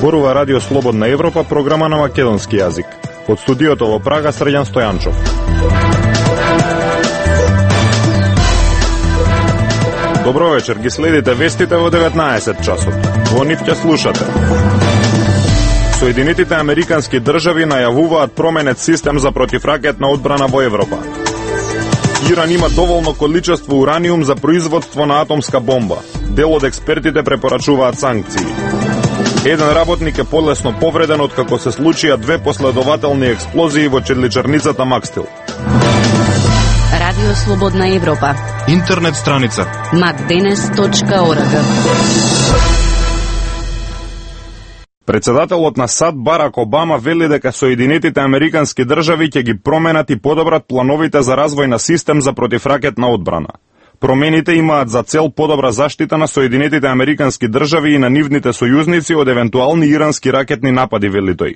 Зборува Радио Слободна Европа, програма на македонски јазик. Од студиото во Прага, Срđan Стојанчов. Добро вечер, ги следите вестите во 19 часот. Во нив ќе слушате. Соединетите американски држави најавуваат променет систем за противракетна одбрана во Европа. Иран има доволно количество ураниум за производство на атомска бомба. Дел од експертите препорачуваат санкции. Еден работник е полесно повреден откако се случија 2 последователни експлозии во чедличарницата Макстил. Радио Слободна Европа. Интернет страница macdenes.org. Председателот на САД Барак Обама вели дека Соединетите американски држави ќе ги променат и подобрат плановите за развој на систем за противракетна одбрана. Промените имаат за цел подобра заштита на Соединетите американски држави и на нивните сојузници од евентуални ирански ракетни напади, вели тој.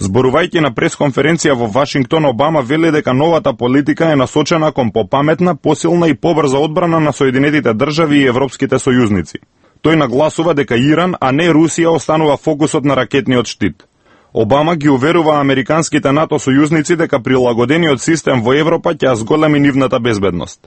Зборувајќи на пресконференција во Вашингтон, Обама вели дека новата политика е насочена кон попаметна, посилна и побрза одбрана на Соединетите држави и европските сојузници. Тој нагласува дека Иран, а не Русија, останува фокусот на ракетниот штит. Обама ги уверува американските НАТО сојузници дека прилагодениот систем во Европа ќе зголеми нивната безбедност.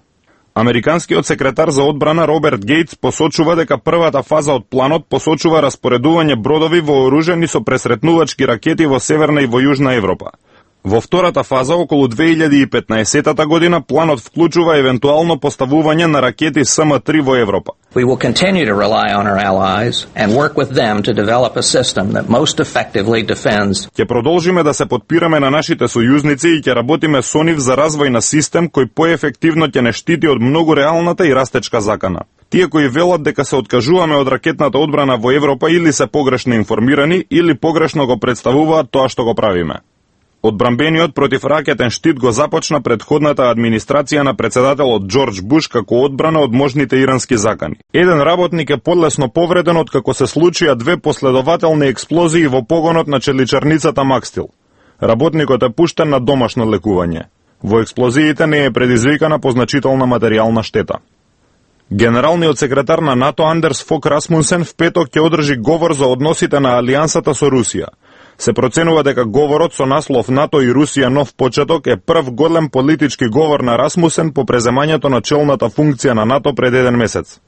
Американскиот секретар за одбрана Роберт Гейтс посочува дека првата фаза од планот посочува распоредување бродови вооружени со пресретнувачки ракети во Северна и во Јужна Европа. Во втората фаза, околу 2015 година, планот вклучува евентуално поставување на ракети СМ-3 во Европа. We will continue to rely on our allies and work with them to develop a system that most effectively defends. Ќе продолжиме да се подпираме на нашите сојузници и ќе работиме со нив за развој на систем кој поефективно ќе не штити од многу реалната и растечка закана. Тие кои велат дека се откажуваме од ракетната одбрана во Европа или се погрешно информирани или погрешно го представуваат тоа што го правиме. Одбранбениот противракетен штит го започна предходната администрација на председателот Џорџ Буш како одбрана од можните ирански закани. Еден работник е полесно повреден откако се случија 2 последователни експлозии во погонот на чедличарницата Макстил. Работникот е пуштен на домашно лекување. Во експлозиите не е предизвикана позначителна материјална штета. Генералниот секретар на НАТО Андерс Фок Расмунсен в петок ќе одржи говор за односите на алијансата со Русија. Се проценува дека говорот со наслов НАТО и Русија нов почеток е прв голем политички говор на Расмусен по преземањето на челната функција на НАТО пред 1 месец.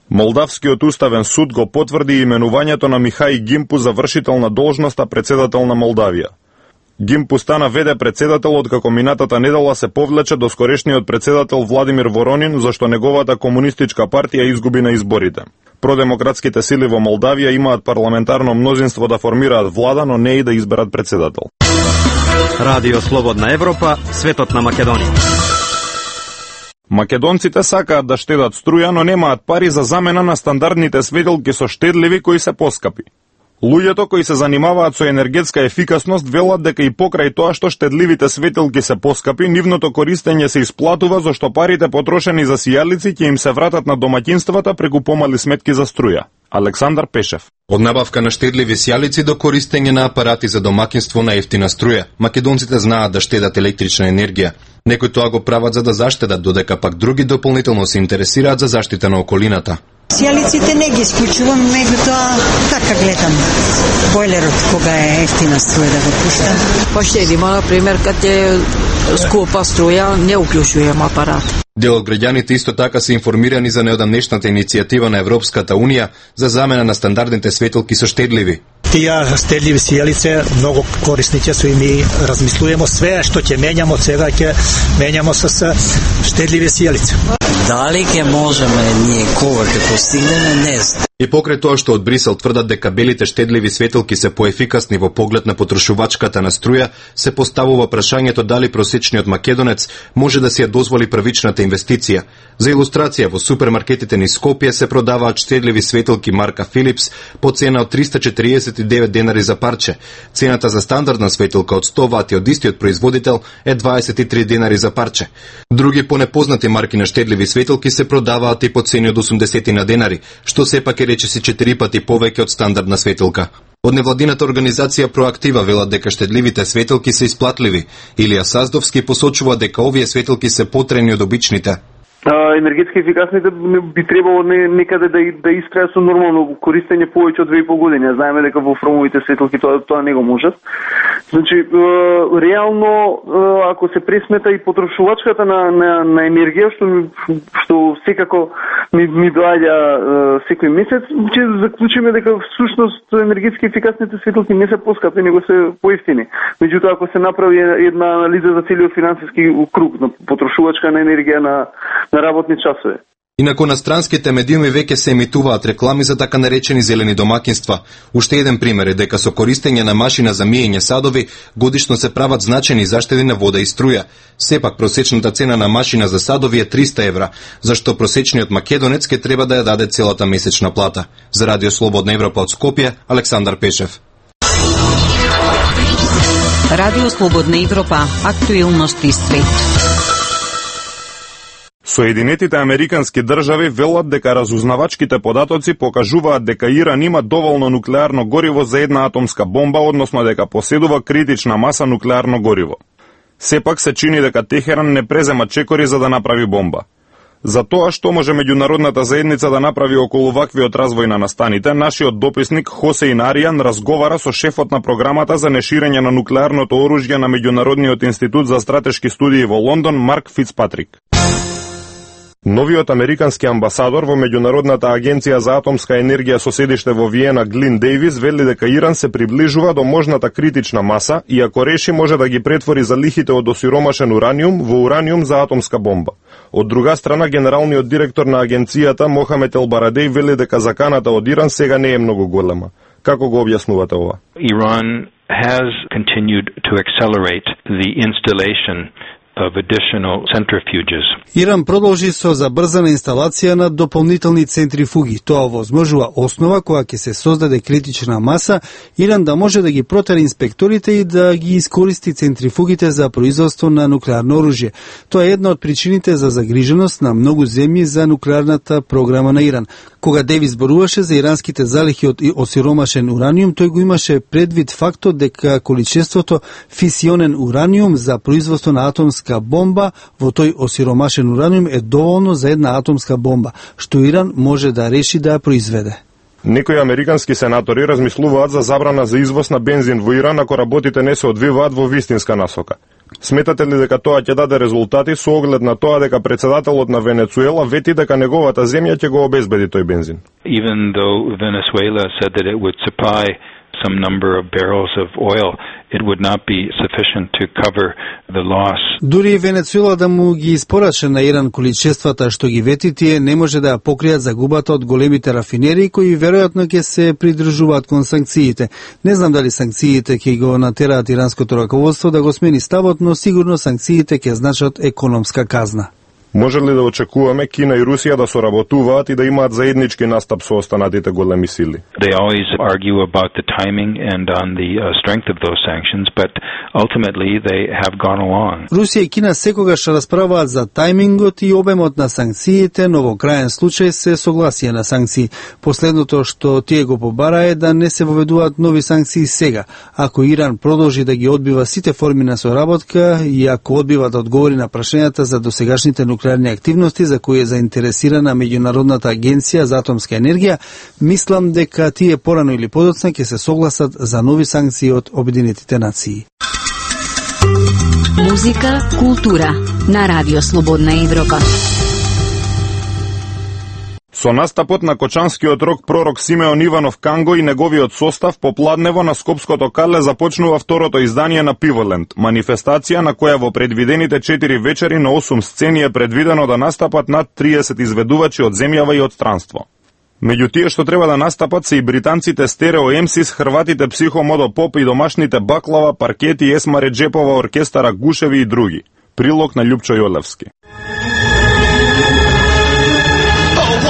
Молдавскиот уставен суд го потврди именувањето на Михај Гимпу за вршител на должноста председател на Молдавија. Гимпу стана ВД председател откако минатата недела се повлече до скорешниот председател Владимир Воронин зашто неговата комунистичка партија изгуби на изборите. Продемократските сили во Молдавија имаат парламентарно мнозинство да формираат влада, но не и да изберат председател. Радио Слободна Европа, светот на Македонија. Македонците сакаат да штедат струја, но немаат пари за замена на стандардните светилки со штедливи кои се поскапи. Луѓето кои се занимаваат со енергетска ефикасност велат дека и покрај тоа што штедливите светилки се поскапи, нивното користење се исплатува зашто парите потрошени за сијалици ќе им се вратат на домаќинствата преку помали сметки за струја. Александар Пешев. Од набавка на штедливи сијалици до користење на апарати за домаќинство на ефтина струја, македонците знаат да штедат електрична енергија. Некои тоа го прават за да заштедат, додека пак други дополнително се интересираат за заштита на околината. Сијалиците не ги исклучувам, меѓутоа така гледам бойлерот кога е ефтина струја да го пуштам. Па штедиме, например, кад е скупа струја, не уклучувам апарат. Дел од граѓаните исто така се информирани за неодамнешната иницијатива на Европската Унија за замена на стандардните светилки со штедливи. Тие штедливи сијалице многу корисни ќе се и ми размислуваме све што ќе менјамо сега ќе менјамо со штедливи сијалице. Дали ќе можеме ние кога ќе постигнеме, не знам. И покрај тоа што од Брисел тврдат дека белите штедливи светилки се поефикасни во поглед на потрошувачката на струја, се поставува прашањето дали просечниот македонец може да си ја дозволи првичната инвестиција. За илустрација, во супермаркетите низ Скопје се продаваат штедливи светилки марка Philips по цена од 349 денари за парче. Цената за стандардна светилка од 100 вати од истиот производител е 23 денари за парче. Други понепознати марки на штедливи светилки се продаваат и по цени од 80 на денари, што сепак е речиси 4 пати повеќе од стандардна светилка. Од невладината организација Проактива велат дека штедливите светилки се исплатливи. Илија Саздовски посочува дека овие светилки се потрени од обичните. енергетски ефикасните би требало некаде да истраја со нормално користење повеќе од 2,5 години. Знаеме дека во фромовите светилки тоа не го можат. Значи, реално, ако се пресмета и потрошувачката на енергија, што секако ми доаѓа секој месец, ќе заклучиме дека всушност енергетски ефикасните светилки не се поскапи, него се поевтини. Меѓутоа, ако се направи една анализа за целиот финансиски круг на потрошувачка на енергија на работни часове. Инаку на странските медиуми веќе се емитуваат реклами за така наречени зелени домакинства. Уште еден пример е дека со користење на машина за миење садови годишно се прават значени заштеди на вода и струја. Сепак просечната цена на машина за садови е 300 евра, зашто просечниот македонец ке треба да ја даде целата месечна плата. За Радио Слободна Европа од Скопје, Александар Пешев. Радио Слободна Европа, актуелности свет. Соединетите Американски држави велат дека разузнавачките податоци покажуваат дека Иран има доволно нуклеарно гориво за една атомска бомба, односно дека поседува критична маса нуклеарно гориво. Сепак се чини дека Техеран не презема чекори за да направи бомба. За тоа што може меѓународната заедница да направи околу ваквиот развој на настаните, нашиот дописник Хосеин Аријан разговара со шефот на програмата за неширење на нуклеарното оружје на Меѓународниот институт за стратешки студии во Лондон, Марк Фицпатрик. Новиот американски амбасадор во Меѓународната агенција за атомска енергија со седиште во Виена, Глин Дејвис, вели дека Иран се приближува до можната критична маса и ако реши може да ги претвори залихите од осиромашен ураниум во ураниум за атомска бомба. Од друга страна, генералниот директор на агенцијата Мохамед Елбарадеј вели дека заканата од Иран сега не е многу голема. Како го објаснувате ова? Iran has continued to accelerate the installation of additional centrifuges. Иран продолжи со забрзана инсталација на дополнителни центрифуги. Тоа овозможува основа која ќе се создаде критична маса, Иран да може да ги протери инспекторите и да ги искористи центрифугите за производство на нуклеарно оружје. Тоа е една од причините за загриженост на многу земји за нуклеарната програма на Иран. Кога Девис зборуваше за иранските залихи од осиромашен ураниум, тој го имаше предвид фактот дека количеството фисионен ураниум за производство на атомска бомба во тој осиромашен ураниум е доволно за една атомска бомба, што Иран може да реши да ја произведе. Некои американски сенатори размислуваат за забрана за извоз на бензин во Иран ако работите не се одвиваат во вистинска насока. Сметате ли дека тоа ќе даде резултати со оглед на тоа дека председателот на Венецуела вети дека неговата земја ќе го обезбеди тој бензин? Even though Venezuela said that it would supply some number of barrels of oil, it would not be sufficient to cover the loss. Дури Венецуела да му ги испорача на Иран количествата што ги вети, тие не може да ја покријат загубата од големите рафинерии кои веројатно ќе се придржуваат кон санкциите. Не знам дали санкциите ќе го натераат иранското раководство да го смени ставот, но сигурно санкциите ќе значат економска казна. Може ли да очекуваме Кина и Русија да соработуваат и да имаат заеднички настап со останатите големи сили? They always argue about the timing and on the strength of those sanctions, but ultimately they have gone along. Русија и Кина секогаш расправаат за тајмингот и обемот на санкциите, но во крајен случај се согласија на санкции. Последното што тие го побара е да не се воведуваат нови санкции сега. Ако Иран продолжи да ги одбива сите форми на соработка и ако одбива да одговори на прашањата за досегашните нуклеарни активности за кои е заинтересирана Меѓународната агенција за атомска енергија, мислам дека тие порано или подоцна ќе се согласат за нови санкции од Обединетите нации. Музика, култура на Радио Слободна Европа. Со настапот на кочанскиот рок пророк Симеон Иванов Канго и неговиот состав попладнево на Скопското Карле започнува второто издание на Пиволенд, манифестација на која во предвидените 4 вечери на 8 сцени е предвидено да настапат над 30 изведувачи од земјава и од странство. Меѓу тие што треба да настапат се и британците Стерео Емсис, хрватите Психо Модо Поп и домашните Баклава, Паркети, Есма Реджепова, оркестара Гушеви и други. Прилог на Љупчо Јолевски.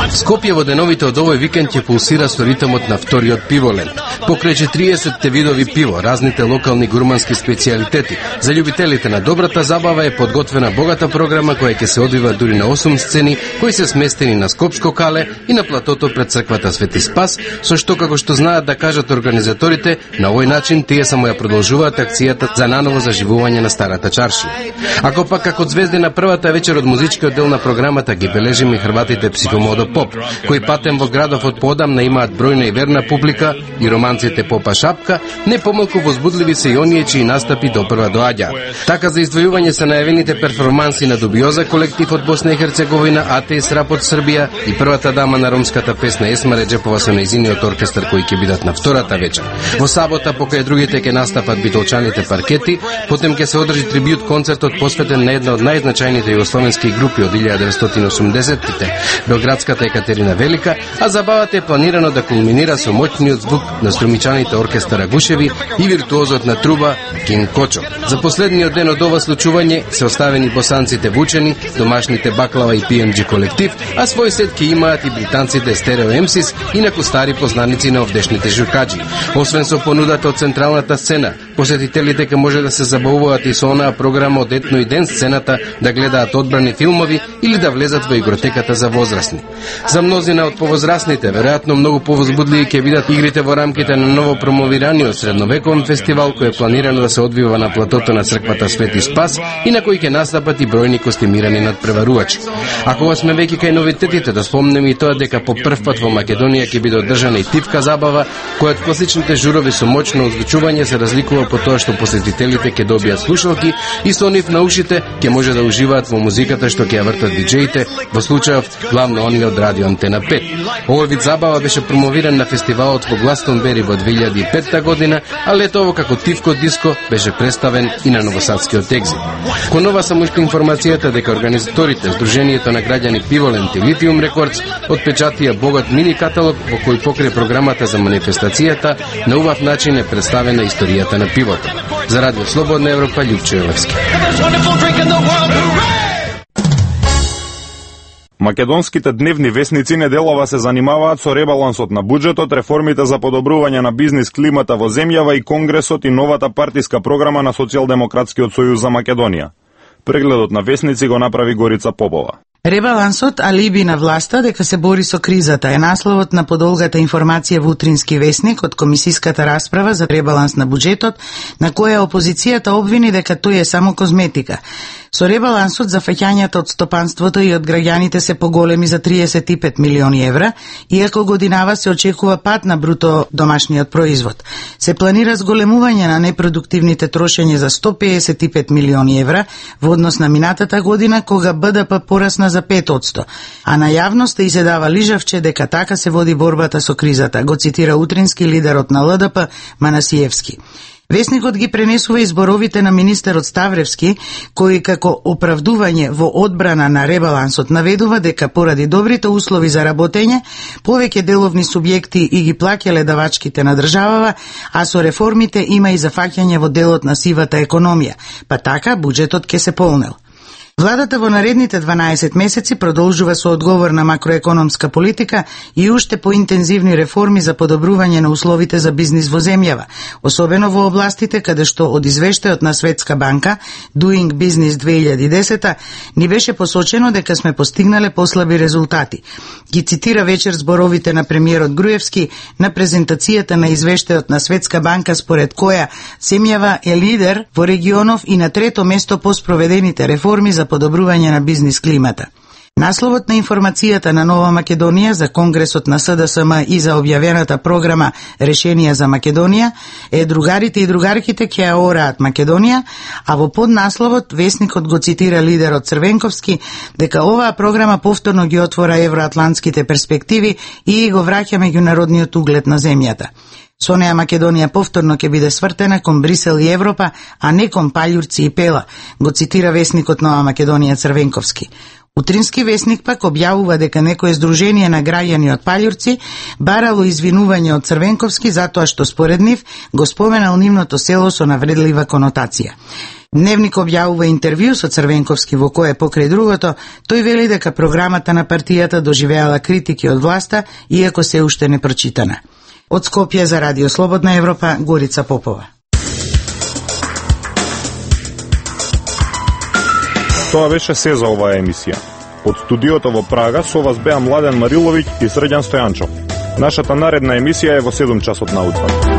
Скопје во деновите од овој викенд ќе пулсира со ритмот на вториот пиволент. Покрај 40 видови пиво, разните локални гурмански специјалитети, за љубителите на добрата забава е подготвена богата програма која ќе се одвива дури на 8 сцени кои се сместени на Скопско кале и на платото пред црквата Свети Спас, со што како што знаат да кажат организаторите, на овој начин тие само ја продолжуваат акцијата за наново заживување на старата чаршија. Ако пак како звезди на првата вечер од музичкиот дел на програмата ги бележиме и хрватите Психомодо Поп, кои патем во градов од подамна имаат бројна и верна публика, и романците Попа Шапка, не помалку возбудливи се и оние чии настапи допрва доаѓаат. Така за издвојување се најавените перформанси на Дубиоза колектив од Босна и Херцеговина, Атеис Рап од Србија и првата дама на ромската песна Есма Реджепова со нејзиниот оркестар кои ќе бидат на втората вечер. Во сабота покај другите ќе настапат битолчаните Паркети, потем ќе се одржи трибјут концертот посветен на една од најзначајните југословенски групи од 1980-тите, белградската Екатерина Велика, а забавата е планирано да кулминира со моќниот звук на струмичаните оркестар Агушеви и виртуозот на труба Кинг Кочо. За последниот ден од ова случување се оставени босанците Вучени, домашните Баклава и PMG колектив, а свој сет ќе имаат и британците Стерео Емсис, инаку стари познаници на овдешните журкаджи. Освен со понудата од централната сцена, посетителите ќе може да се забавуваат и со онаа програма од Етно и ден сцената, да гледаат одбрани филмови или да влезат во игротеката за возрастни. За мнозина од повозрастните, веројатно многу повозбудливи ќе бидат игрите во рамките на ново промовираниот средновековен фестивал кој е планирано да се одвива на платото на црквата Свети Спас и на кој ќе настапат и бројни костимирани надпреварувачи. Ако вас сме веќе кај новитетите, да спомнеме и тоа дека по прв пат во Македонија ќе биде одржана и тивка забава, која од класичните журови со моќно озвучување се разликува по тоа што посетителите ќе добијат слушалки и со нив на ушите ќе може да уживаат во музиката што ќе ја вртат диџеите, во случајов главно оние од Радио Антена 5. Овој вид забава беше промовиран на фестивалот во Гластонбери во 2005 година, а летово како тивко диско беше представен и на новосадскиот екзит. Кон ова само уште информацијата дека организаторите Сдруженијето на граѓани Пиволент и Литиум Рекордс отпечатија богат мини каталог во кој покрај програмата за манифестацијата на убав начин е представена историјата на пивото. За Радио Слободна Европа, Љупчо Јовевски. Македонските дневни весници неделова се занимаваат со ребалансот на буџетот, реформите за подобрување на бизнис климата во земјава и Конгресот и новата партиска програма на Социјалдемократскиот сојуз за Македонија. Прегледот на весници го направи Горица Попова. Ребалансот алиби на власта дека се бори со кризата е насловот на подолгата информација во утрински весник од комисиската расправа за ребаланс на буџетот, на која опозицијата обвини дека тој е само козметика. Со ребалансот зафаќањата од стопанството и од граѓаните се поголеми за 35 милиони евра, иако годинава се очекува пад на бруто домашниот производ. Се планира зголемување на непродуктивните трошење за 155 милиони евра во однос на минатата година, кога БДП порасна за 5%, а на јавноста и се дава лижавче дека така се води борбата со кризата, го цитира утрински лидерот на ЛДП Манасиевски. Весникот ги пренесува изборовите на министерот Ставревски, кој како оправдување во одбрана на ребалансот наведува дека поради добрите услови за работење, повеќе деловни субјекти и ги плаќале давачките на државава, а со реформите има и зафаќање во делот на сивата економија, па така буџетот ќе се полнел. Владата во наредните 12 месеци продолжува со одговорна макроекономска политика и уште поинтензивни реформи за подобрување на условите за бизнис во земјава, особено во областите каде што од извештајот на Светска банка Doing Business 2010 ни беше посочено дека сме постигнале послаби резултати. Ги цитира вечер зборовите на премиерот Груевски на презентацијата на извештајот на Светска банка, според која земјава е лидер во регионов и на трето место по спроведените реформи за подобрување на бизнис климата. Насловот на информацијата на Нова Македонија за Конгресот на СДСМ и за објавената програма Решенија за Македонија е другарите и другарките ќе ја ораат Македонија, а во поднасловот весникот го цитира лидерот Црвенковски дека оваа програма повторно ги отвора евроатлантските перспективи и го враќа меѓународниот углед на земјата. Со неа Македонија повторно ќе биде свртена кон Брисел и Европа, а не кон паљурци и пела, го цитира весникот Нова Македонија Црвенковски. Утрински весник пак објавува дека некое здружение на граѓани од Палјурци барало извинување од Црвенковски затоа што според нив го споменал нивното село со навредлива конотација. Дневник објавува интервју со Црвенковски во кое покрај другото тој вели дека програмата на партијата доживеала критики од власта иако се уште не прочитана. Од Скопје за Радио Слободна Европа, Горица Попова. Тоа беше се за оваа емисија. Од студиото во Прага со вас беа Младен Мариловиќ и Срđan Стојанчов. Нашата наредна емисија е во 7 часот наутро.